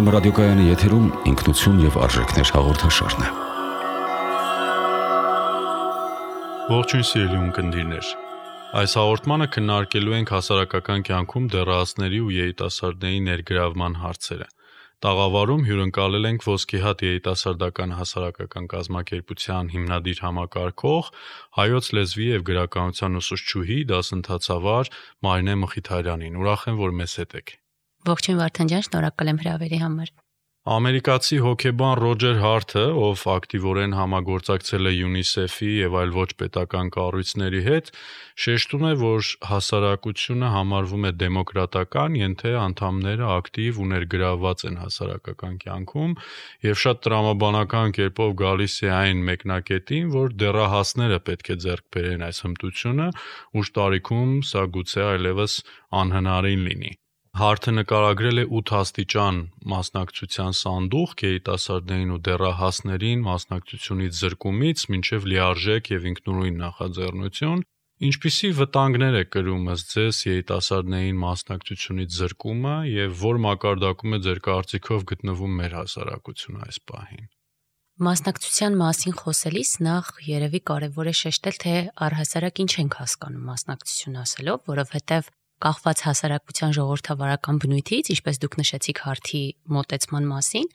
Ռադիոկայանի եթերում ինքնություն եւ արժեքներ հաղորդաշարն է։ Ողջույն սիրելի ունկնդիրներ։ Այս հաղորդմանը քննարկելու ենք հասարակական կյանքում դեռահասների ու երիտասարդների ներգրավման հարցերը։ Տաղավարում հյուրընկալել ենք Ոսկեհատ երիտասարդական հասարակական կազմակերպության հիմնադիր համակարգող, հայոց լեզվի եւ գրականության ուսուցչուհի, դասընթացավար Մարինե Մխիթարյանին։ Ուրախ եմ, որ մեզ հետ եք։ Ողջույն Վարդան ջան, շնորհակալ եմ հրավերի համար։ Ամերիկացի հոգեբան Ռոջեր Հարթը, ով ակտիվորեն համագործակցել է ՅՈՒՆԻՍԵՖ-ի եւ այլ ոչ պետական կառույցների հետ, շեշտում է, որ հասարակությունը համարվում է դեմոկրատական, ենթե անդամները ակտիվ ու ներգրավված են հասարակական կյանքում եւ շատ տրամաբանական կերպով գալիս է այն մեկնակետին, որ դեռահասները պետք է ձեռք բերեն այս հմտությունը, ուշ տարիքում սա գուցե այլևս անհնարին լինի։ Հարթը նկարագրել է 8 աստիճան մասնակցության սանդուղք երիտասարդներին ու դեռահասներին մասնակցությունից զրկումից մինչև լիարժեք եւ ինքնուրույն նախաձեռնություն, ինչպիսի վտանգներ է կրում ըստ ձեզ երիտասարդներին մասնակցությունից զրկումը եւ որ մակարդակում է ձեր կարծիքով գտնվում մեր հասարակությունը այս պահին։ Մասնակցության մասին խոսելիս նախ երևի կարևոր է շեշտել, թե առհասարակ ինչ ենք հասկանում մասնակցություն ասելով, որովհետեւ կախված հասարակության ժողովրդավարական բնույթից, ինչպես դուք նշեցիք Հարթի մոտեցման մասին,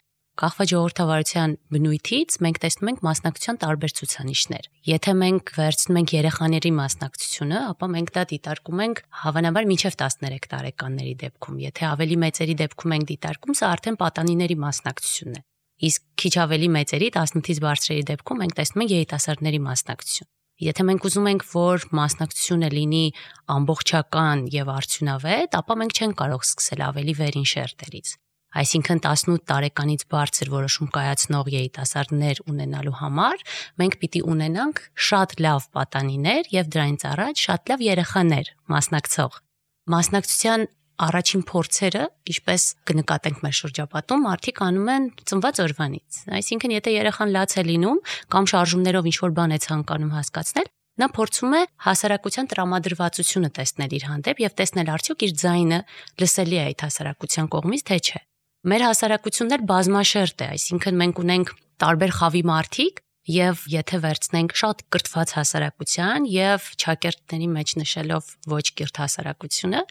կախված ժողովրդավարության բնույթից մենք տեսնում ենք մասնակցության տարբեր ցուցանիշներ։ Եթե մենք վերցնում ենք երեխաների մասնակցությունը, ապա մենք դա դիտարկում ենք հավանաբար մինչև 13 տարեկանների դեպքում։ Եթե ավելի մեծերի դեպքում ենք դիտարկում, սա արդեն պատանիների մասնակցությունն է։ Իսկ քիչ ավելի մեծերի 18-ից բարձրերի դեպքում մենք տեսնում ենք երիտասարդների մասնակցություն։ Եթե մենք ուզում ենք, որ մասնակցությունը լինի ամբողջական եւ արդյունավետ, ապա մենք չենք կարող սկսել ավելի վերին շերտերից։ Այսինքն 18 տարեկանից բարձր որոշում կայացնող երիտասարդներ ունենալու համար մենք պիտի ունենանք շատ լավ պատանիներ եւ դրանից առաջ շատ լավ երեխաներ մասնակցող։ Մասնակցության առաջին փորձերը, ինչպես կնկատենք մեր շրջապատում, մարդիկ անում են ծնված օրվանից։ Այսինքն, եթե երեխան լաց է լինում կամ շարժումներով ինչ-որ բան է ցանկանում հասկացնել, նա փորձում է հասարակության տրամադրվածությունը տեսնել իր հանդեպ եւ տեսնել արդյոք իր ձայնը լսելի է այդ հասարակության կողմից, թե չէ։ Մեր հասարակությունն էլ բազմաշերտ է, այսինքն մենք ունենք տարբեր խավի մարդիկ եւ եթե վերցնենք շատ կրթված հասարակության եւ ճակերտների մեջ նշելով ոչ կիրթ հասարակությունը,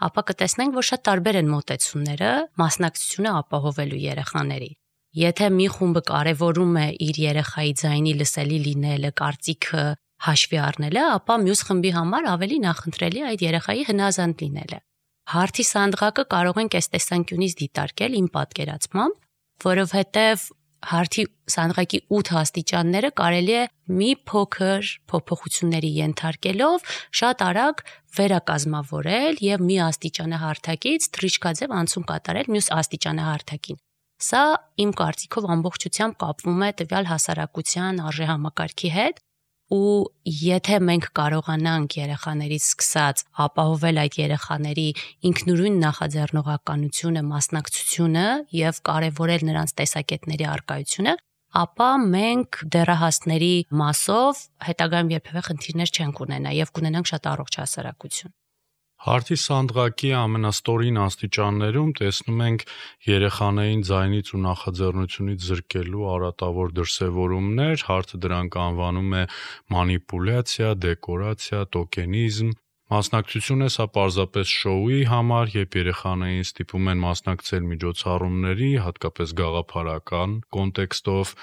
ապա կտեսնենք, որ շատ տարբեր են մոտեցումները մասնակցությունը ապահովելու երեխաների։ Եթե մի խումբը կարևորում է իր երեխայի ձայնի լսելի լինելը, կարծիքը հաշվի առնելը, ապա մյուս խմբի համար ավելի նախընտրելի է այդ երեխայի հնազանդ լինելը։ Հարթի սանդղակը կարող ենք այս տեսանկյունից դիտարկել իմ պատկերացմամբ, որովհետեւ Հարթի սանդղակի 8 աստիճանները կարելի է մի փոքր փոփոխությունների ենթարկելով շատ արագ վերակազմավորել եւ մի աստիճանահարթակից թռիչքաձև անցում կատարել մյուս աստիճանահարթակին։ Սա իմ կարծիքով ամբողջությամբ կապվում է տվյալ հասարակության արժեհամակարգի հետ ու եթե մենք կարողանանք երեխաներից սկսած ապահովել այդ երեխաների ինքնուրույն նախաձեռնողականությունը, մասնակցությունը եւ կարեւորել նրանց տեսակետների առկայությունը, ապա մենք դեռահասների մասով հետագայում երբևէ խնդիրներ չենք ունենա եւ կունենանք շատ առողջ հասարակություն։ Հարթի սանդղակի ամենաստորին աստիճաններում տեսնում ենք երեխաներին ձայնից ու նախաձեռնությունից զրկելու արատավոր դրսևորումներ, Հարթը դրանք անվանում է մանիպուլյացիա, դեկորացիա, տոկենիզմ։ Մասնակցությունը սա պարզապես շոուի համար, երբ երեխաներին ստիպում են մասնակցել միջոցառումների, հատկապես գաղափարական կոնտեքստով,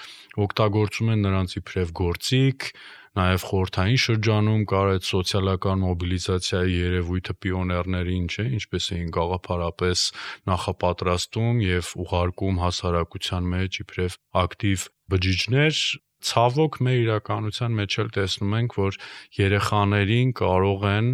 օգտագործում են նրանց իբրև գործիք, նաև խորհրդային շրջանում կար այդ սոցիալական մոբիլիզացիայի երևույթը պիոներներին, չէ, ինչպես էին գաղափարապես նախապատրաստում եւ ուղարկում հասարակության մեջ իբրև ակտիվ բջիջներ։ Ցավոք մեր իրականության մեջ էլ տեսնում ենք, որ երեխաներին կարող են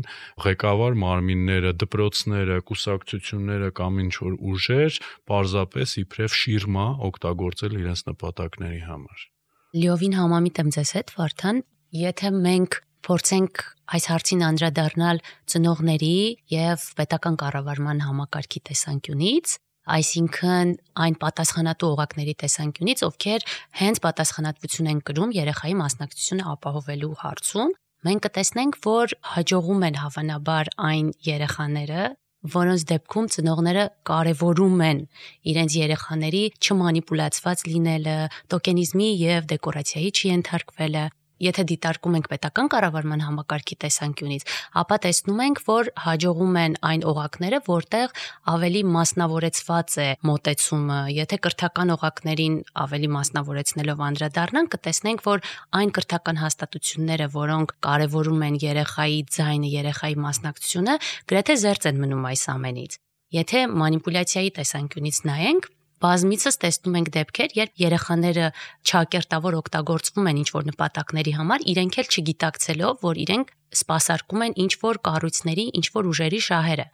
ղեկավար մարմինները, դպրոցները, կուսակցությունները կամ ինչ-որ ուժեր պարզապես իբրև շիրմա օգտագործել իրենց նպատակների համար։ Լիովին համամիտ եմ ձեզ հետ, Վարդան, եթե մենք փորձենք այս հարցին անդրադառնալ ծնողների եւ պետական կառավարման համակարգի տեսանկյունից, այսինքն այն պատասխանատու օղակների տեսանկյունից, ովքեր հենց պատասխանատվություն են կրում երեխայի մասնակցությունը ապահովելու հարցում, մենք կտեսնենք, որ հաջողում են հավանաբար այն երեխաները, որոնց դեպքում ծնողները կարևորում են իրենց երեխաների չմանիպուլացված լինելը, տոկենիզմի եւ դեկորացիայի չենթարկվելը։ Եթե դիտարկում ենք պետական կառավարման համակարգի տեսանկյունից, ապա տեսնում ենք, որ հաջողում են այն օղակները, որտեղ ավելի մասնավորեցված է մոտեցումը։ Եթե կրթական օղակներին ավելի մասնավորեցնելով անդրադառնանք, կտեսնենք, որ այն կրթական հաստատությունները, որոնք կարևորում են երեխայի ձայնը, երեխայի մասնակցությունը, գրեթե զերծ են մնում այս ամենից։ Եթե մանիպուլյացիայի տեսանկյունից նայենք, բազմիցս տեսնում ենք դեպքեր, երբ երեխաները չակերտավոր օգտագործվում են ինչ-որ նպատակների համար, իրենք էլ չգիտակցելով, որ իրենք սպասարկում են ինչ-որ կառույցների, ինչ-որ ուժերի շահերը։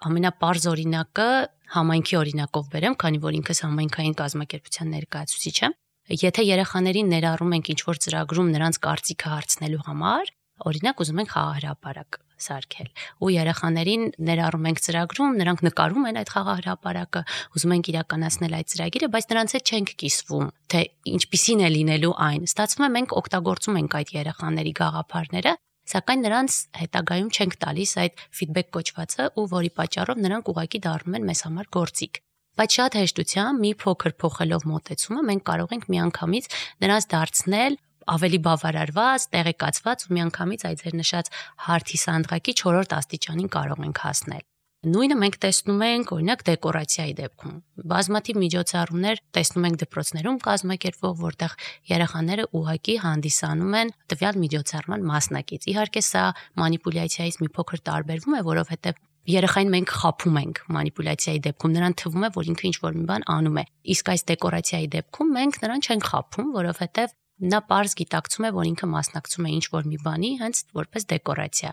Ամենապարզ օրինակը համայնքի օրինակով բերեմ, քանի որ ինքս համայնքային կազմակերպության ներկայացուցիչ եմ։ Եթե երեխաներին ներառում ենք ինչ-որ ծրագրում նրանց կարծիքը հարցնելու համար, օրինակ ուզում ենք խաղահրապարակ սարքել ու երեխաներին ներառում ենք ծրագրում, նրանք նկարում են այդ խաղահրապարակը, ուզում ենք իրականացնել այդ ծրագիրը, բայց նրանց հետ չենք կիսվում, թե ինչպիսին է լինելու այն։ Ստացվում է մենք օգտագործում ենք այդ երեխաների գաղափարները, սակայն նրանց հետագայում չենք տալիս այդ ֆիդբեք կոչվածը ու որի պատճառով նրանք ուղղակի դառնում են մեզ համար գործիք։ Բայց շատ հեշտությամբ մի փոքր փոխելով մոտեցումը մենք կարող ենք միանգամից նրանց դարձնել ավելի բավարարված, տեղեկացված ու միանգամից այդ ձեր նշած հարթի սանդղակի 4-րդ աստիճանին կարող ենք հասնել։ Նույնը մենք տեսնում ենք օրինակ դեկորացիայի դեպքում։ Բազմաթիվ միջոցառումներ տեսնում ենք դպրոցներում կազմակերպվող, որտեղ երեխաները ուղղակի հանդիսանում են տվյալ միջոցառման մասնակից։ Իհարկե սա մանիպուլյացիայից մի փոքր տարբերվում է, որովհետև երեխային մենք խաբում ենք մանիպուլյացիայի դեպքում, նրան թվում է, որ ինքը ինչ-որ մի բան անում է։ Իսկ այս դեկորացիայի դեպքում մենք նրան չենք խաբում, որովհետև նա պարզ գիտակցում է, որ ինքը մասնակցում է ինչ-որ մի բանի, հենց որպես դեկորացիա։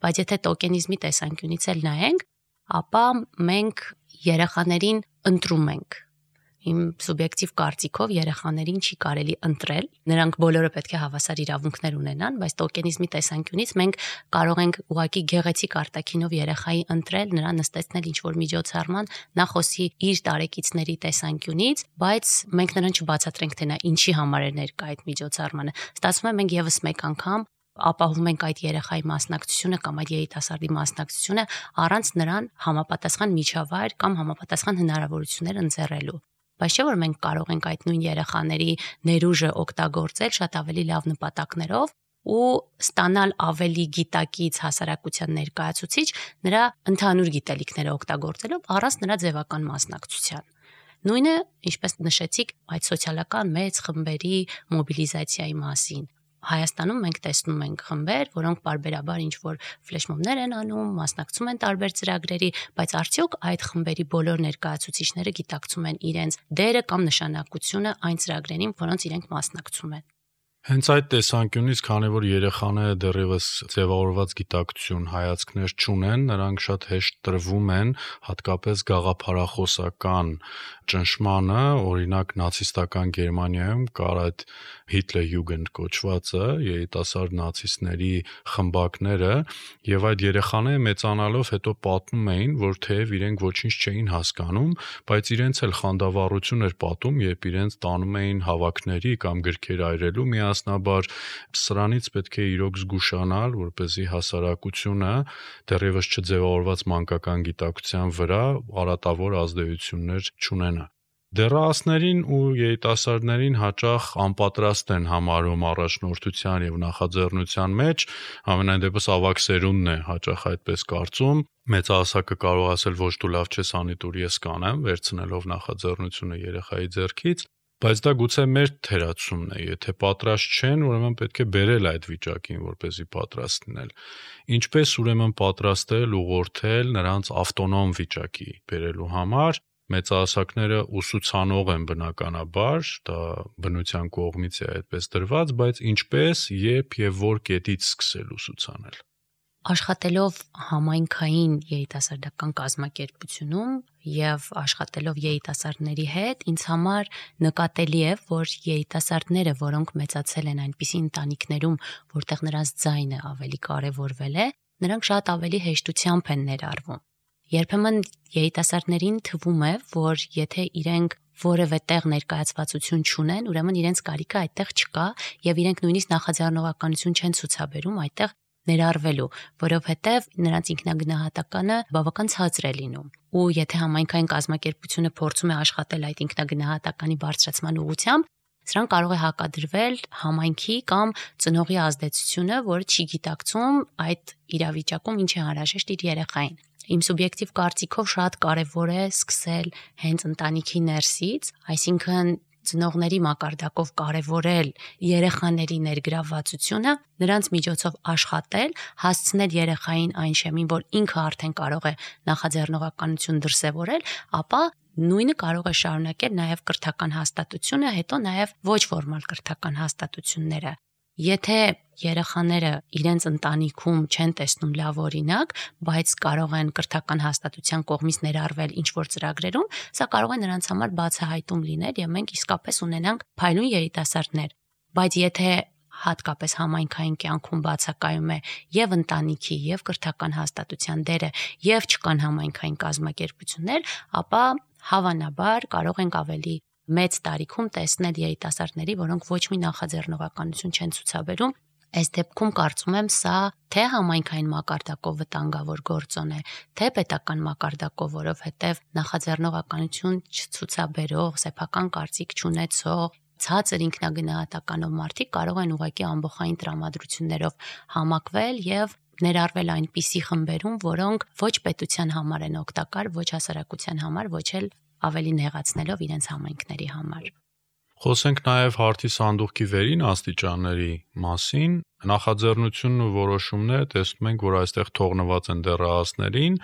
Բայց եթե տոկենիզմի տեսանկյունից էլ նայենք, ապա մենք երեխաներին ընտրում ենք։ Իմ սուբյեկտիվ կարծիքով երեխաներին չի կարելի ընտրել, նրանք բոլորը պետք է հավասար իրավունքներ ունենան, բայց տոկենիզմի տեսանկյունից մենք կարող ենք ուղղակի գեղեցիկ արտաքինով երեխայի ընտրել, նրան նստեցնել ինչ-որ միջոցառման, նա խոսի իր տարեկիցների տեսանկյունից, բայց մենք նրան չբացատրենք, թե նա ինչի համար է ներկա այդ միջոցառմանը։ Ստացվում է մենք եւս մեկ անգամ ապահովում ենք այդ երեխայի մասնակցությունը կամ այդ երիտասարդի մասնակցությունը առանց նրան համապատասխան միջավայր կամ համապատասխան հնարավորություններ ընձեռելու։ Բայց չէ՞ որ մենք կարող ենք այդ նույն երեխաների ներուժը օգտագործել շատ ավելի լավ նպատակներով ու ստանալ ավելի գիտակից հասարակության ներկայացուցիչ նրա ընդհանուր գիտելիքները օգտագործելով առանց նրա ձևական մասնակցության։ Նույնը, ինչպես նշեցիք, այդ սոցիալական մեծ խմբերի մոբիլիզացիայի մասին։ Հայաստանում մենք տեսնում ենք խմբեր, որոնք պարբերաբար ինչ-որ ֆլեշմոբներ են անում, մասնակցում են տարբեր ծրագրերի, բայց արդյոք այդ խմբերի բոլոր ներկայացուցիչները գիտակցում են իրենց դերը կամ նշանակությունը այն ծրագրերին, որոնց իրենք մասնակցում են։ Հենց այդ տեսանկյունից, քանի որ երեխաները դեռևս ձևավորված գիտակցություն, հայացքներ չունեն, նրանք շատ հեշտ տրվում են հատկապես գաղափարախոսական ճնշմանը, օրինակ նացիստական Գերմանիայում կար այդ Hitlerjugend կոչվածը, երիտասարդ նացիստների խմբակները, եւ այդ երեխաները մեծանալով հետո պատմում էին, որ թեև իրենք ոչինչ չէին հասկանում, բայց իրենց էլ խանդավառություն էր պատում, երբ իրենց տանում էին հավաքների կամ գրքեր այրելու միասնաբար, սրանից պետք է իրոք զգուշանալ, որպեսզի հասարակությունը դեռևս չձևավորված մանկական գիտակցության վրա արատավոր ազդեցություններ չունենա։ Դեռահասներին ու երիտասարդներին հաճախ անպատրաստ են համարում առաջնորդության եւ նախաձեռնության մեջ, ամենայն դեպս ավագ սերունդն է հաճախ այդպես կարծում։ Մեծահասակը կարող ասել ոչ դու լավ չես անի, դուր ես կանեմ, վերցնելով նախաձեռնությունը երեխայի ձեռքից, բայց դա գուցե մեր թերացումն է, եթե պատրաստ չեն, ուրեմն պետք է բերել այդ վիճակին, որպեսզի պատրաստ լինել։ Ինչպես ուրեմն պատրաստել, ուղղորդել նրանց ավտոնոմ վիճակի բերելու համար։ Մեծահասակները ուսուցանող են բնականաբար, դա բնության կողմից է այդպես դրված, բայց ինչպես, երբ եւ որ կետից սկսել ուսուցանել։ Աշխատելով համայնքային երիտասարդական կազմակերպությունում եւ աշխատելով երիտասարդների հետ, ինձ համար նկատելի է, որ երիտասարդները, որոնք մեծացել են այնպիսի ընտանիքներում, որտեղ նրանց ձայնը ավելի կարեւորվել է, նրանք շատ ավելի հեշտությամբ են ներառվում։ Երբեմն երիտասարդներին թվում է, որ եթե իրենք որևէ տեղ ներկայացվածություն չունեն, ուրեմն իրենց կարիքը այդտեղ չկա եւ իրենք նույնիսկ նախաձեռնողականություն չեն ցուցաբերում այդտեղ ներառվելու, որովհետև նրանց ինքնագնահատականը բավական ցածր է լինում։ Ու եթե համայնքային կազմակերպությունը փորձում է աշխատել այդ ինքնագնահատականի բարձրացման ուղղությամբ, սրան կարող է հակադրվել համայնքի կամ ծնողի ազդեցությունը, որը չի գիտակցում այդ իրավիճակում ինչ է անհրաժեշտ իր երեխային։ Իմ սուբյեկտիվ կարծիքով շատ կարևոր է սկսել հենց ընտանիքի ներսից, այսինքն ծնողների մակարդակով կարևորել երեխաների ներգրավվածությունը, նրանց միջոցով աշխատել, հասցնել երեխային այն շեմին, որ ինքը արդեն կարող է նախաձեռնողականություն դրսևորել, ապա նույնը կարող է շարունակել նաև կրթական հաստատությունը, հետո նաև ոչ ֆորմալ կրթական հաստատությունները։ Եթե երեխաները իրենց ընտանիքում չեն տեսնում լավ օրինակ, բայց կարող են կրթական հաստատության կողմից ներառվել ինչ-որ ծրագրերում, սա կարող է նրանց համար բացահայտում լինել եւ մենք իսկապես ունենանք փայլուն երիտասարդներ։ Բայց եթե հատկապես համայնքային կյանքում բացակայում է եւ ընտանիքի եւ կրթական հաստատության դերը եւ չկան համայնքային կազմակերպություններ, ապա հավանաբար կարող ենք ավելի մեծ տարիքում տեսնել երիտասարդների, որոնք ոչ մի նախաձեռնողականություն չեն ցուցաբերում։ Այս դեպքում կարծում եմ սա թե համայնքային մակարդակով վտանգավոր գործոն է, թե պետական մակարդակով, որովհետև նախաձեռնողականություն չցուցաբերող, սեփական կարծիք չունեցող, ցածր ինքնագնահատականով մարդիկ կարող են ուղղակի ամբողջային տրամադրություններով համակվել եւ ներառվել այնպիսի խմբերում, որոնք ոչ պետության համար են օգտակար, ոչ հասարակության համար, ոչ էլ ավելի նեղացնելով իրենց համայնքների համար։ Խոսենք նաև հարթի սանդուղքի վերին աստիճանների մասին։ Նախաձեռնությունն ու որոշումները տեսնում ենք, որ այստեղ թողնված են դեռահասներին,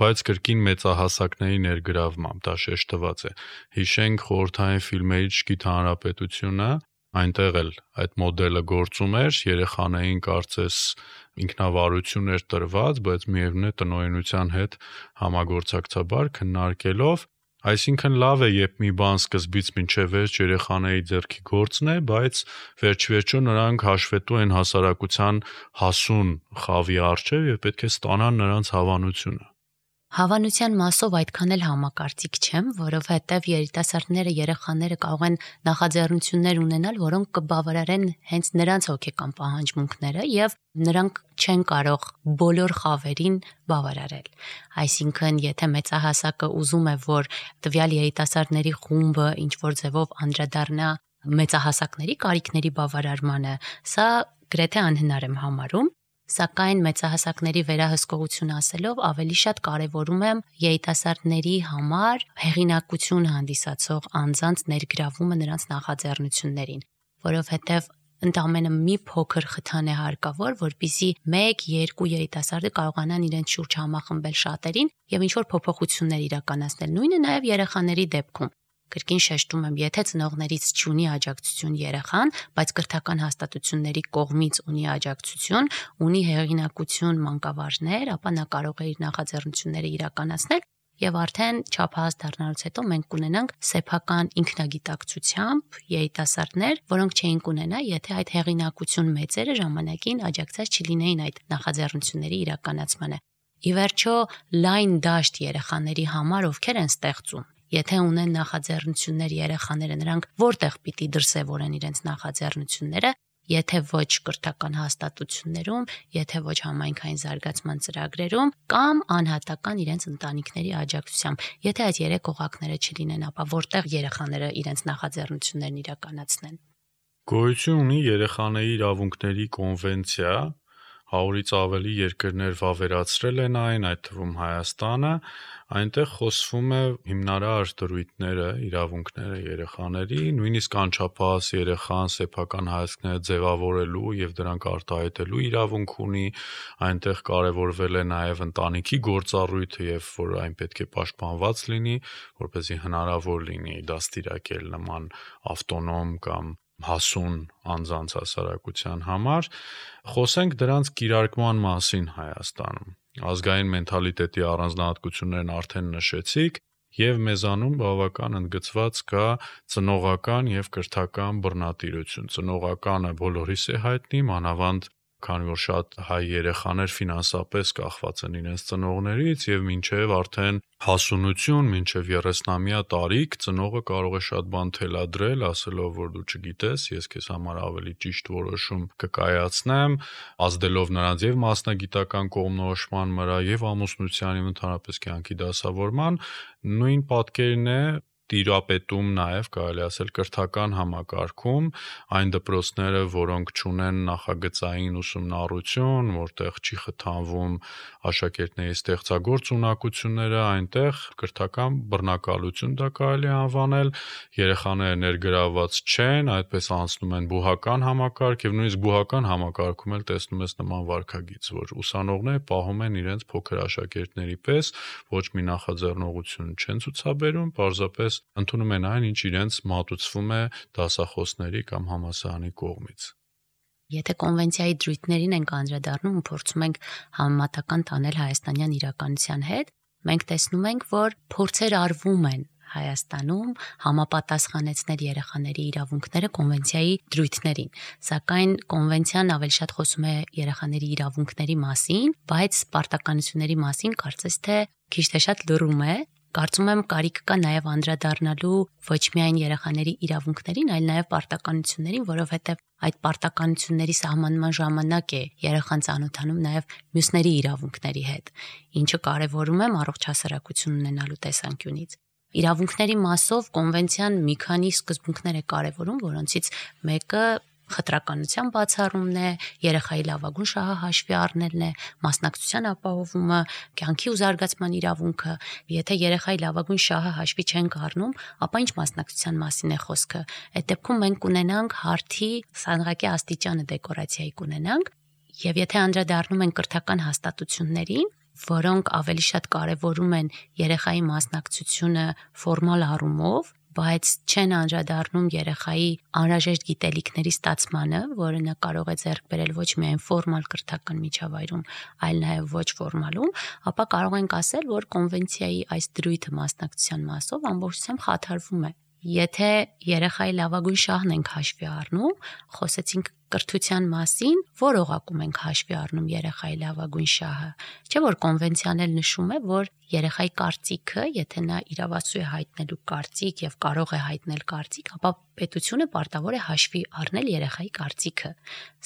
բայց կրկին մեծահասակների ներգրավմամբ, դա շեշտված է։ Հիշենք խորհրդային ֆիլմերի ճշգիտ հանրապետությունը, այնտեղ էլ այդ մոդելը գործում էր, երեխաներին կարծես ինքնավարություն էր տրված, բայց միևնույն է տնօրինության հետ համագործակցաբար քննարկելով, այսինքն լավ է, երբ մի բան սկզբից մինչև վերջ երեխաների ձեռքի գործն է, բայց վերջ-վերջո նրանք հաշվետու են հասարակության հասուն խավի առջև եւ պետք է ստանան նրանց հավանությունը։ Հավանության մասով այդքան էլ համակարծիք չեմ, որովհետև երիտասարդները, երեխաները կարող են նախաձեռնություններ ունենալ, որոնք կբավարարեն հենց նրանց հոգեկան պահանջմունքները եւ նրանք չեն կարող բոլոր խավերին բավարարել։ Այսինքն, եթե մեծահասակը ուզում է, որ տվյալ երիտասարդների խումբը ինչ որ ձևով անդրադառնա մեծահասակների կարիքների բավարարմանը, սա գրեթե անհնար եմ համարում։ Սակայն մեծահասակների վերահսկողություն ասելով ավելի շատ կարևորում եմ երիտասարդների համար հեղինակություն հանդիսացող անձանց ներգրավումը նրանց նախաձեռնություններին, որովհետև ընդամենը մի փոքր խթան է հարկավոր, որպեսզի 1-2 երիտասարդը կարողանան իրենց շուրջ համախմբել շատերին եւ ինչ-որ փոփոխություններ իրականացնել։ Նույնը նաեւ երեխաների դեպքում։ Կրկին շեշտում եմ, եթե ծնողներից չունի աջակցություն երեխան, բայց կրթական հաստատությունների կողմից ունի աջակցություն, ունի հեղինակություն մանկավարժներ, ապա նա կարող է իր նախաձեռնությունները իրականացնել եւ արդեն չափահաս դառնալուց հետո մենք կունենանք սեփական ինքնագիտակցությամբ երիտասարդներ, որոնք չէին կունենա, եթե այդ հեղինակություն մեծերը ժամանակին աջակցած չլինեին այդ նախաձեռնությունների իրականացմանը։ Ի վերջո, լայն դաշտ երեխաների համար ովքեր են ստեղծում։ Եթե ունեն նախաձեռնություններ երեխաները, նրանք որտեղ պիտի դրսևորեն իրենց նախաձեռնությունները, եթե ոչ կրթական հաստատություններում, եթե ոչ համայնքային զարգացման ծրագրերում կամ անհատական իրենց ընտանիքների աջակցությամբ։ Եթե այդ երեք օղակները չլինեն, ապա որտեղ երեխաները իրենց նախաձեռնություններն իրականացնեն։ Գոյություն ունի երեխաների իրավունքների կոնվենցիա, 100-ից ավելի երկրներ վավերացրել են այն, այդ թվում Հայաստանը, այնտեղ խոսվում է հիմնարար դրույթները, իրավունքները երեխաների, նույնիսկ անչափահաս երեխան սեփական հայացքները ձևավորելու եւ դրանք արտահայտելու իրավունք ունի, այնտեղ կարևորվել է նաեւ ընտանիքի գործառույթը եւ որ այն պետք է պաշտպանված լինի, որպեսզի հնարավոր լինի դաստիարակել նման ավտոնոմ կամ հասուն անձանց հասարակության համար, խոսենք դրանց կիրարկման մասին Հայաստանում։ Ազգային մենթալիտետի առանձնահատկություններն արդեն նշեցիք եւ մեզանում բավական ընդգծված կա ծնողական եւ կրթական բռնատիրություն։ Ծնողականը բոլորիս է հայտնի, մանավանդ քանի որ շատ հայ երեխաներ ֆինանսապես կախված են իրենց ծնողներից եւ մինչեւ արդեն հասունություն, մինչեւ 30-ամյա տարիք ծնողը կարող է շատ բան թելադրել, ասելով որ դու չգիտես, ես քեզ համար ավելի ճիշտ որոշում կկայացնեմ, ազդելով նրանց եւ մասնագիտական կողմնորոշման վրա եւ ամուսնության եւ ընդհանրապես կյանքի դասավորման, նույն պատկերն է տիրապետում նաև կարելի ասել կրթական համակարգում այն դպրոցները, որոնք չունեն նախագծային ուսումնառություն, որտեղ չի խթանվում աշակերտների ստեղծագործ ունակությունները, այնտեղ կրթական բռնակալություն դա կարելի է անվանել, երեխաները ներգրավված չեն, այդպես անցնում են բուհական համակարգ եւ նույնիսկ բուհական համակարգում էլ տեսնում ես նման վարքագիծ, որ ուսանողները պահում են իրենց փոքր աշակերտների պես, ոչ մի նախաձեռնողություն չեն ցուցաբերում, պարզապես ընդունում են այն, ինչ իրենց մատուցվում է դասախոսների կամ համալսարանի կողմից։ Եթե կոնվենցիայի դրույթներին ենք անդրադառնում ու փորձում ենք համեմատական տանել հայաստանյան իրականության հետ, մենք տեսնում ենք, որ փորձեր արվում են Հայաստանում համապատասխանեցնել երեխաների իրավունքները կոնվենցիայի դրույթներին, սակայն կոնվենցիան ավելի շատ խոսում է երեխաների իրավունքների մասին, բայց պարտականությունների մասին կարծես թե քիչ թե շատ լռում է։ Կարծում եմ կարիք կա նաև անդրադառնալու ոչ միայն երեխաների իրավունքներին, այլ նաև պարտականություններին, որովհետև այդ պարտականությունների սահմանման ժամանակ է երեխան ծանոթանում նաև մյուսների իրավունքների հետ, ինչը կարևորում եմ առողջ հասարակություն ունենալու տեսանկյունից։ Իրավունքների մասով կոնվենցիան մի քանի սկզբունքներ է կարևորում, որոնցից մեկը խտրականության բացառումն է, երեխայի լավագույն շահը հաշվի առնելն է, մասնակցության ապահովումը, կյանքի ու զարգացման իրավունքը։ Եթե երեխայի լավագույն շահը հաշվի չենք առնում, ապա ինչ մասնակցության մասին է խոսքը։ Այդ դեպքում մենք կունենանք հարթի սանրակի աստիճանը դեկորացիայի կունենանք, եւ եթե անդրադառնում ենք կրթական հաստատություններին, որոնք ավելի շատ կարևորում են երեխայի մասնակցությունը ֆորմալ առումով, բայց չեն անդրադառնում երեխայի անհրաժեշտ գիտելիքների ստացմանը, որը նա կարող է ձեռք բերել ոչ միայն ֆորմալ կրթական միջավայրում, այլ նաև ոչ ֆորմալում, ապա կարող ենք ասել, որ կոնվենցիայի այս դրույթը մասնակցության մասով ամբողջությամբ խաթարվում է։ Եթե երեխայի լավագույն շահն ենք հաշվի առնում, խոսեցինք կրթության մասին, որ օղակում ենք հաշվի առնում երեխայի լավագույն շահը։ Չէ՞ որ կոնվենցիան էլ նշում է, որ երեխայի կարծիքը, եթե նա իրավասու է հայտնելու կարծիք եւ կարող է հայտնել կարծիք, ապա պետությունը պարտավոր է հաշվի առնել երեխայի կարծիքը։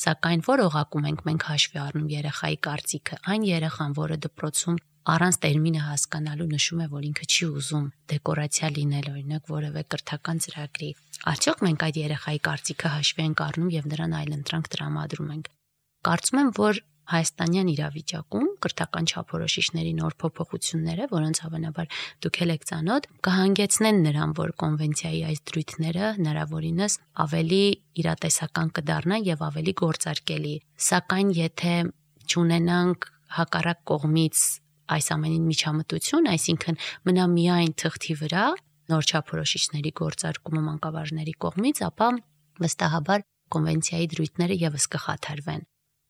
Սակայն որ օղակում ենք մենք հաշվի առնում երեխայի կարծիքը, այն երեխան, որը դպրոցում առանց տերմինը հասկանալու նշում է, որ ինքը չի ուզում դեկորացիա լինել, օրինակ որևէ կրթական ծրագրի, արդյոք մենք այդ երեխայի կարծիքը հաշվի ենք առնում եւ նրան այլընտրանք տրամադրում ենք։ Կարծում եմ, որ հայաստանյան իրավիճակում կրթական չափորոշիչների նոր փոփոխությունները, որոնց հավանաբար դուք եք ծանոթ, կհանգեցնեն նրան, որ կոնվենցիայի այս դրույթները հնարավորինս ավելի իրատեսական կդառնան եւ ավելի գործարկելի։ Սակայն եթե չունենանք հակառակ կողմից այս ամենին միջամտություն, այսինքն մնա միայն թղթի վրա նոր չափորոշիչների գործարկումը մանկավարժների կողմից, ապա վստահաբար կոնվենցիայի դրույթները եւս կխաթարվեն։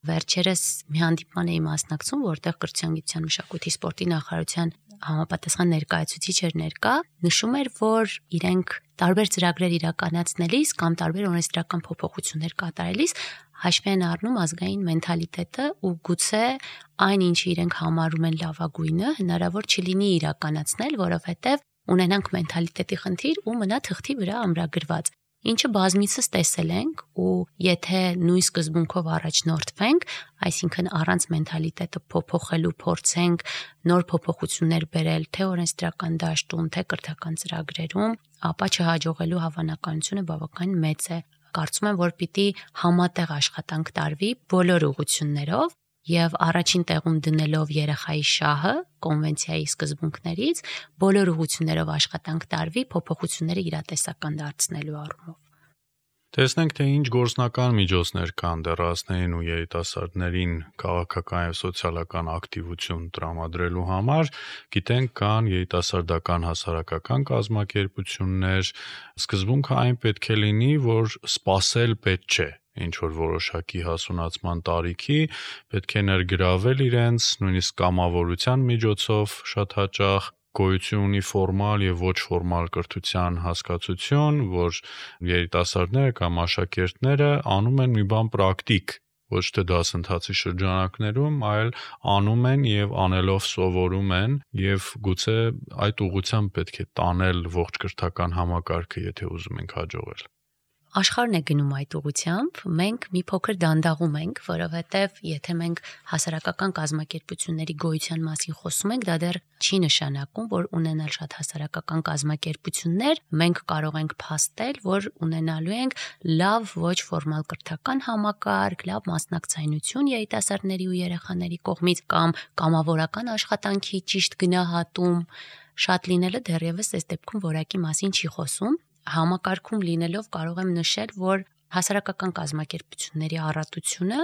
Վերջերս մի հանդիպման էի մասնակցում, որտեղ Կրթության, գիտության, մշակույթի, սպորտի նախարարության համապատասխան ներկայացուցիչ էր ներկա, նշում էր, որ իրենք տարբեր ծրագրեր իրականացնելիս կամ տարբեր օրենսդրական փոփոխություններ կատարելիս հաշվի են առնում ազգային մենթալիտետը ու գուցե այն, ինչը իրենք համարում են լավագույնը, հնարավոր չլինի իրականացնել, որովհետև ունենանք մենթալիտետի խնդիր ու մնա թղթի վրա ամրագրված, ինչը բազմիցս տեսել ենք ու եթե նույն սկզբունքով առաջնորդվենք, այսինքն առանց մենթալիտետը փոփոխելու փորձենք նոր փոփոխություններ բերել թե օրենսդրական դաշտում, թե կրթական ծրագրերում, ապա չհաջողելու հավանականությունը բավականին մեծ է։ Կարծում եմ, որ պիտի համատեղ աշխատանք տարվի բոլոր ուղղություններով եւ առաջին տեղում դնելով երեխայի շահը կոնվենցիայի սկզբունքներից բոլոր ուղղություններով աշխատանք տարվի փոփոխությունները իրատեսական դարձնելու առումով։ Տեսնենք, թե ինչ գործնական միջոցներ կան դեռահասներին ու երիտասարդներին քաղաքական եւ սոցիալական ակտիվություն տրամադրելու համար, գիտենք կան երիտասարդական հասարակական կազմակերպություններ, սկզբունքը այն պետք է լինի, որ սпасել պետք չէ, ինչ որ որոշակի հասունացման տարիքի, պետք է ներգրավել իրենց նույնիսկ կամավորության միջոցով շատ հաճախ գոյություն ունի ֆորմալ եւ ոչ ֆորմալ կրթության հասկացություն, որ երիտասարդները կամ աշակերտները անում են մի բան պրակտիկ, ոչ թե դասընթացի շրջանակներում, այլ անում են եւ անելով սովորում են եւ գուցե այդ ուղղությամբ պետք է տանել ողջ կրթական համակարգը, եթե ուզում ենք հաջողել։ Աշխարհն է գնում այդ ուղղությամբ, մենք մի փոքր դանդաղում ենք, որովհետև եթե մենք հասարակական կազմակերպությունների գոյության մասին խոսում ենք, դա դեռ չի նշանակում, որ ունենալ շատ հասարակական կազմակերպություններ մենք կարող ենք փաստել, որ ունենալու ենք լավ ոչ ֆորմալ կրթական համակարգ, լավ մասնակցայնություն երիտասարդների ու երեխաների կողմից կամ կամավորական աշխատանքի ճիշտ գնահատում, շատ լինելը դեռևս այս դեպքում որակի մասին չի խոսում։ Համակարգում լինելով կարող եմ նշել, որ հասարակական կազմակերպությունների առատությունը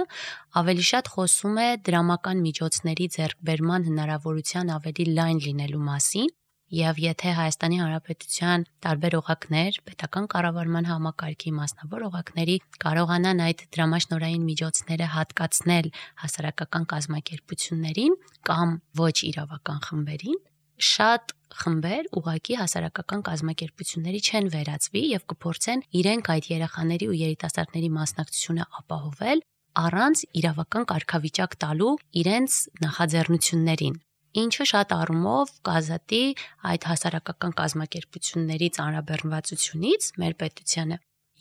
ավելի շատ խոսում է դրամական միջոցների ձեռքբերման հնարավորության ավելի լայն լինելու մասին, եւ եթե Հայաստանի Հանրապետության տարբեր օղակներ, պետական կառավարման համակարգի մասնավոր օղակների կարողանան այդ դրամաշնորհային միջոցները հատկացնել հասարակական կազմակերպություններին կամ ոչ իրավական խմբերին, շատ խմբեր ուղղակի հասարակական կազմակերպությունների չեն վերածվի եւ կփորձեն իրենք այդ երեխաների ու երիտասարդների մասնակցությունը ապահովել առանց իրավական կարգավիճակ տալու իրենց նախաձեռնություններին, ինչը շատ առումով կազատի այդ հասարակական կազմակերպությունների ծանրաբեռնվածությունից մեր պետությանը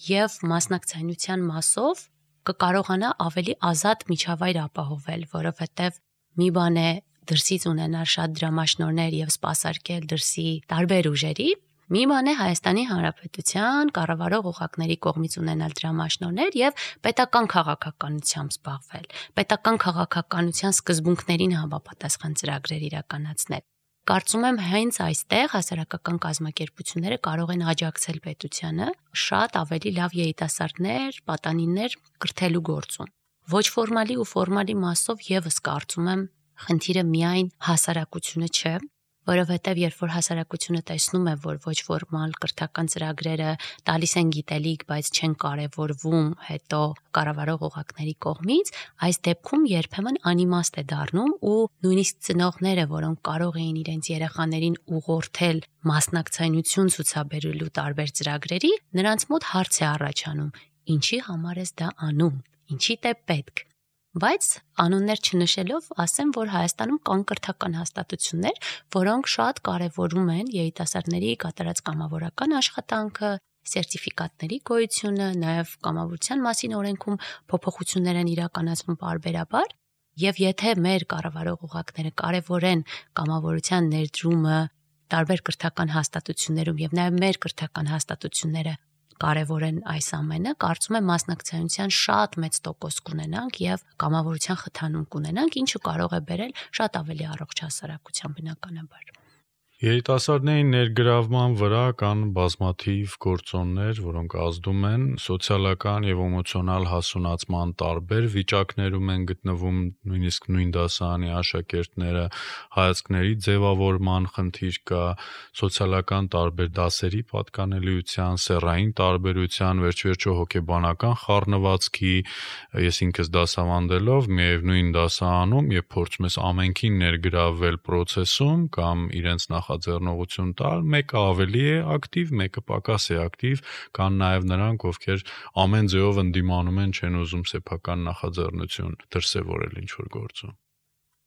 եւ մասնակցայնության մասով կկարողանա ավելի ազատ միջավայր ապահովել, որովհետեւ մի բան է դրսից ունենալ շատ դրամաշնորհներ եւ սպասարկել դրսի տարբեր ուժերի, մի բան է Հայաստանի Հանրապետության կառավարող օղակների կողմից ունենալ դրամաշնորհներ եւ պետական քաղաքականությամբ զբաղվել, պետական քաղաքականության սկզբունքներին համապատասխան ծրագրեր իրականացնել։ Կարծում եմ հենց այստեղ հասարակական կազմակերպությունները կարող են աջակցել պետությանը շատ ավելի լավ երիտասարդներ, պատանիներ կրթելու գործում։ Ոչ ֆորմալի ու ֆորմալի մասով եւս կարծում եմ խնդիրը միայն հասարակությունը չէ, որովհետև երբ որ հասարակությունը տեսնում է, որ ոչ ֆորմալ կրթական ծրագրերը տալիս են գիտելիք, բայց չեն կարևորվում հետո կառավարող օղակների կողմից, այս դեպքում երբեմն անիմաստ է դառնում ու նույնիսկ ծնողները, որոնք կարող էին իրենց երեխաներին ուղղորդել մասնակցայնություն ցուցաբերելու տարբեր ծրագրերի, նրանց մոտ հարց է առաջանում. ինչի համար ես դա անում, ինչի է պետք։ Բայց անուններ չնշելով ասեմ, որ Հայաստանում կան կրթական հաստատություններ, որոնք շատ կարևորում են երիտասարդների կատարած կամավորական աշխատանքը, սերտիֆիկատների գոյությունը, նաև կամավորության մասին օրենքում փոփոխություններ են իրականացվում պարբերաբար, եւ եթե մեր կառավարող օղակները կարևորեն կամավորության ներդրումը տարբեր կրթական հաստատություններում եւ նաև մեր կրթական հաստատությունները կարևորեն այս ամենը, կարծում եմ մասնակցայնության շատ մեծ տոկոս կունենանք եւ կամավորության խթանում կունենանք, ինչը կարող է բերել շատ ավելի առողջ հասարակության բնականաբար։ Երիտասարդների ներգրավման վրա կան բազմաթիվ գործոններ, որոնք ազդում են սոցիալական եւ էմոցիոնալ հասունացման տարբեր վիճակներում են գտնվում, նույնիսկ նույն դասարանի աշակերտները, հայացքների ձևավորման խնդիր կա, սոցիալական տարբեր դասերի պատկանելիության, սեռային տարբերության, վերջիվերջո հոգեբանական խառնվածքի, ես ինքս դասավանդելով միևնույն դասարանում, երբ փորձում ես ամենքին ներգրավվել process-ում կամ իրենց նախաձեռնողություն տալ, մեկը ավելի է ակտիվ, մեկը պակաս է ակտիվ, կան նաև նրանք, ովքեր ամեն ձևով ընդդիմանում են, չեն ուզում սեփական նախաձեռնություն դրսևորել ինչ-որ գործում։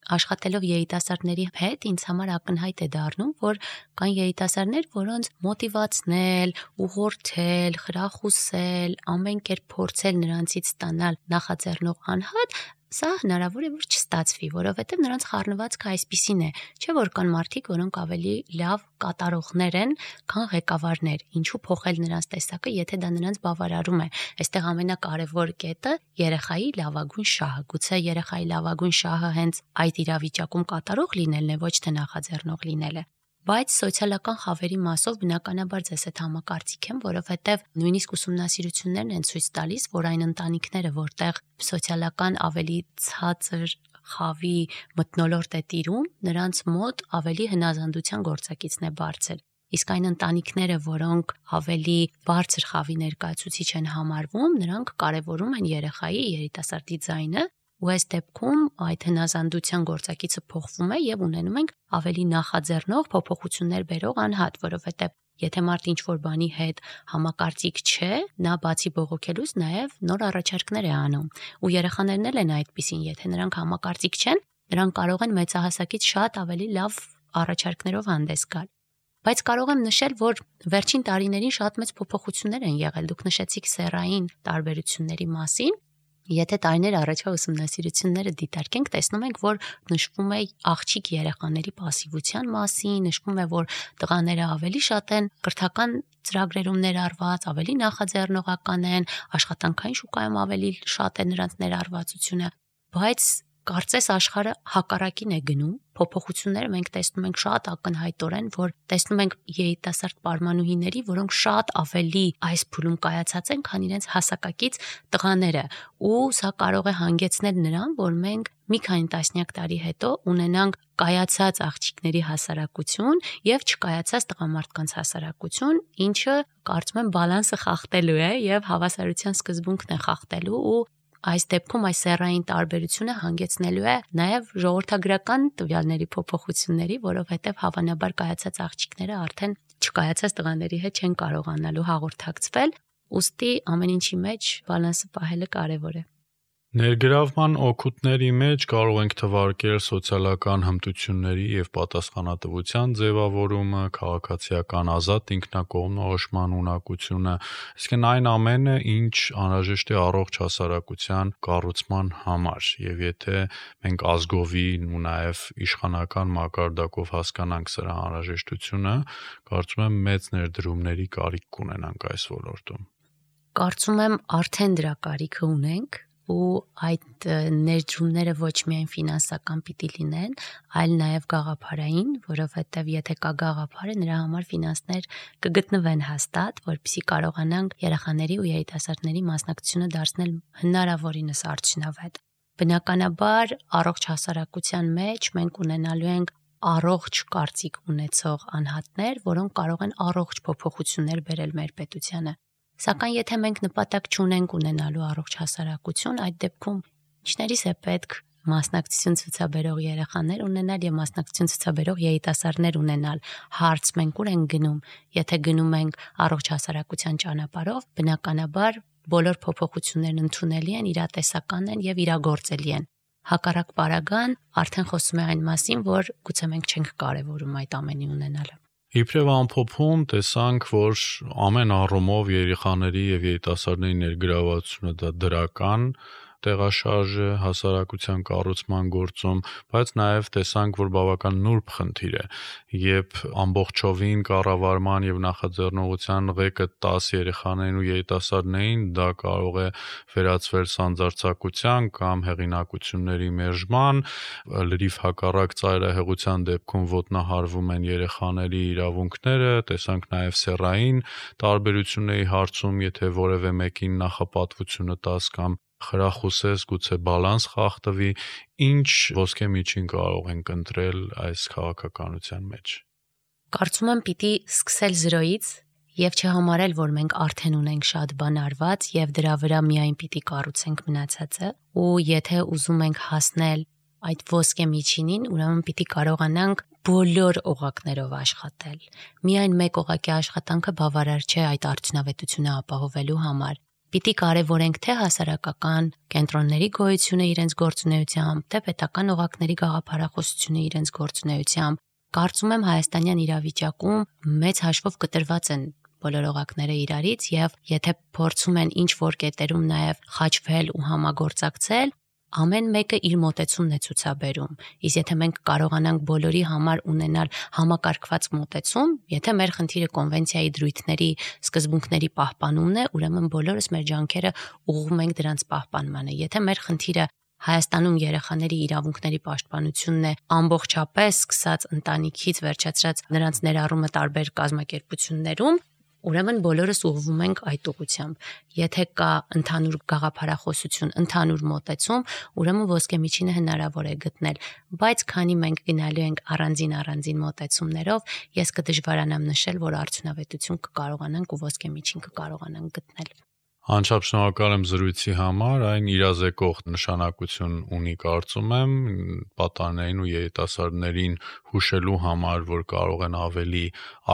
Աշխատելով երիտասարդների հետ ինձ համար ակնհայտ է դառնում, որ կան երիտասարդներ, որոնց մոտիվացնել, ուղղորդել, խրախուսել, ամեն կերպ փորձել նրանցից ստանալ նախաձեռնող անհատ, սա հնարավոր է որ չստացվի, որովհետև նրանց խառնվածքը այսպիսին է, չէ՞ որ կան մարդիկ, որոնք ավելի լավ կատարողներ են, քան ղեկավարներ, ինչու փոխել նրանց տեսակը, եթե դա նրանց բավարարում է։ Այստեղ ամենակարևոր կետը երեխայի լավագույն շահը, գուցե երեխայի լավագույն շահը հենց այդ իրավիճակում կատարող լինելն է, ոչ թե նախաձեռնող լինելը։ Բայց սոցիալական խավերի մասով բնականաբար ձեզ հետ համակարծիք եմ, որովհետև նույնիսկ ուսումնասիրություններն են ցույց տալիս, որ այն ընտանիքները, որտեղ սոցիալական ավելի ցածր խավի մթնոլորտ է տիրում, նրանց մոտ ավելի հնազանդության գործակիցն է բարձր։ Իսկ այն ընտանիքները, որոնք ավելի բարձր խավի ներկայացուցիչ են համարվում, նրանք կարևորում են երեխայի, երիտասարդի ձայնը, ու այս դեպքում այդ հնազանդության գործակիցը փոխվում է եւ ունենում ենք ավելի նախաձեռնող փոփոխություններ բերող անհատ, որովհետեւ Եթե մարդ ինչ-որ բանի հետ համակարծիք չէ, նա բացի բողոքելուց նաև նոր առաջարկներ է անում։ Ու երեխաներն էլ են այդպիսին, եթե նրանք համակարծիք չեն, նրանք կարող են մեծահասակից շատ ավելի լավ առաջարկներով հանդես գալ։ Բայց կարող եմ նշել, որ վերջին տարիներին շատ մեծ փոփոխություններ են եղել։ Դուք նշեցիք սեռային տարբերությունների մասին։ Եթե տարիներ առաջ ուսումնասիրությունները դիտարկենք, տեսնում ենք, որ նշվում է աղջիկ երեխաների пассивության մասին, նշվում է, որ տղաները ավելի շատ են կրթական ծրագրերում ներառված, ավելի նախաձեռնողական են, աշխատանքային շուկայում ավելի շատ է նրանց ներառվածությունը, բայց կարծես աշխարհը հակառակին է գնում, փոփոխությունները մենք տեսնում ենք շատ ակնհայտորեն, որ տեսնում ենք երիտասարդ պարմանուհիների, որոնք շատ ավելի այս փուլում կայացած են, քան իրենց հասակակից տղաները, ու սա կարող է հանգեցնել նրան, որ մենք մի քանի տասնյակ տարի հետո ունենանք կայացած աղջիկների հասարակություն եւ չկայացած տղամարդկանց հասարակություն, ինչը կարծում եմ բալանսը խախտելու է եւ հավասարության սկզբունքն է խախտելու ու այս դեպքում այս սեռային տարբերությունը հանգեցնելու է նաև ժողովրդագրական տվյալների փոփոխությունների, որովհետև հավանաբար կայացած աղջիկները արդեն չկայացած տղաների հետ չեն կարողանալու հաղորդակցվել, ուստի ամեն ինչի մեջ բալանսը պահելը կարևոր է։ Ներգրավման օգուտների մեջ կարող ենք թվարկել սոցիալական հմտությունների եւ պատասխանատվության ձևավորումը, քաղաքացիական ազատ ինքնակողմնորոշման ունակությունը, այսինքն այն ամենը, ինչ անհրաժեշտ է առողջ հասարակության կառուցման համար, եւ եթե մենք ազգովին ու նաեւ իշխանական մակարդակով հասկանանք սրա անհրաժեշտությունը, կարծում եմ մեծ ներդրումների կարիք կունենանք այս ոլորտում։ Կարծում եմ արդեն դրա կարիքը ունենք ու այդ ներդրումները ոչ միայն ֆինանսական պիտի լինեն, այլ նաև գաղափարային, որովհետև եթե կա գաղափարը, նրա համար ֆինանսներ կգտնվեն հաստատ, որպեսզի կարողանանք երեխաների ու երիտասարդների մասնակցությունը դարձնել հնարավորինս արդյունավետ։ Բնականաբար, առողջ հասարակության մեջ մենք ունենալու ենք առողջ կարծիք ունեցող անհատներ, որոնք կարող են առողջ փոփոխություններ բերել մեր պետությանը։ Սակայն եթե մենք նպատակ չունենք ունենալու առողջ հասարակություն, այդ դեպքում ինչներիս է պետք մասնակցություն ցուցաբերող երեխաներ ունենալ եւ մասնակցություն ցուցաբերող երիտասարդներ ունենալ։ Հարց մենք ուր ենք գնում, եթե գնում ենք առողջ հասարակության ճանապարհով, բնականաբար բոլոր փոփոխություններն ընդունելի են, իրատեսական են եւ իրագործելի են։ Հակառակ պարագան արդեն խոսում է այն մասին, որ գուցե մենք չենք կարևորում այդ ամենի ունենալը։ Իբրև ամփոփում տեսանք, որ ամեն առումով երեխաների եւ երիտասարդների ներգրավվածությունը դա դրական տեղաշարժ է հասարակության կառուցման գործում, բայց նաև տեսանք, որ բավական նուրբ խնդիր է, երբ ամբողջովին կառավարման եւ նախաձեռնողության ղեկը 10 երեխաներին ու երիտասարդներին, դա կարող է վերածվել սանձարձակության կամ հեղինակությունների մերժման, լրիվ հակառակ ծայրահեղության դեպքում ոտնահարվում են երեխաների իրավունքները, տեսանք նաև սեռային տարբերությունների հարցում, եթե որևէ մեկին նախապատվությունը տաս կամ խրախուսես, գուցե բալանս խախտվի, ինչ ոսկե միջին կարող ենք ընտրել այս քաղաքականության մեջ։ Կարծում եմ պիտի սկսել զրոյից եւ չհամարել, որ մենք արդեն ունենք շատ բան արված եւ դրա վրա միայն պիտի կառուցենք մնացածը, ու եթե ուզում ենք հասնել այդ ոսկե միջինին, ուրեմն պիտի կարողանանք բոլոր օղակներով աշխատել։ Միայն մեկ օղակի աշխատանքը բավարար չէ այդ արդյունավետությունը ապահովելու համար։ Պիտի կարևորենք թե հասարակական կենտրոնների գոյությունը իրենց գործունեությամբ, թե պետական օղակների գաղափարախոսությունը իրենց գործունեությամբ։ Կարծում եմ հայաստանյան իրավիճակում մեծ հաշվով կտրված են բոլոր օղակները իրարից եւ եթե փորձում են ինչ որ կետերում նաեւ խաչվել ու համագործակցել, ամեն մեկը իր մոտեցումն է ցուցաբերում։ Իսկ եթե մենք կարողանանք բոլորի համար ունենալ համակարգված մոտեցում, եթե մեր խնդիրը կոնվենցիայի դրույթների սկզբունքների պահպանումն է, ուրեմն բոլորս մեր ջանքերը ուղղում ենք դրանց պահպանմանը։ Եթե մեր խնդիրը Հայաստանում երեխաների իրավունքների պաշտպանությունն է ամբողջապես սկսած ընտանիքից վերջացրած նրանց ներառումը տարբեր կազմակերպություններում, ուրեմն բոլորս ուղղվում ենք այդ ուղղությամբ։ Եթե կա ընդհանուր գաղափարախոսություն, ընդհանուր մոտեցում, ուրեմն ոսկե միջինը հնարավոր է գտնել, բայց քանի մենք գնալու ենք առանձին մոտեցումներով, ես կդժվարանամ նշել, որ արդյունավետություն կկարողանանք ու ոսկե միջին կկարողանանք գտնել։ Անչափ շնորհակալ եմ զրույցի համար, այն իրազեկող նշանակություն ունի կարծում եմ պատանիներին ու երիտասարդներին հուշելու համար, որ կարող են ավելի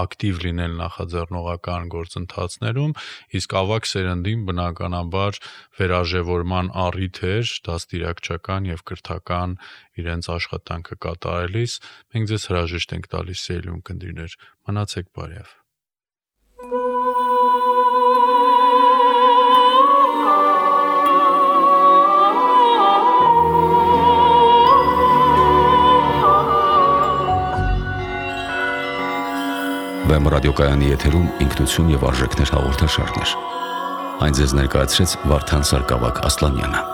ակտիվ լինել նախաձեռնողական գործընթացներում, իսկ ավագ սերնդին բնականաբար վերաժևորման առիթ էր դաստիարակչական եւ կրթական իրենց աշխատանքը կատարելիս։ Մենք ձեզ հրաժեշտ ենք տալիս, սիրելի ունկնդիրներ, մնացեք բարյավ։ Վեմ ռադիոկայանի եթերում ինքնություն եւ արժեքներ հաղորդաշարներ։ Այն ձեզ ներկայացրեց Վարդան Սարգսակ Ասլանյանը։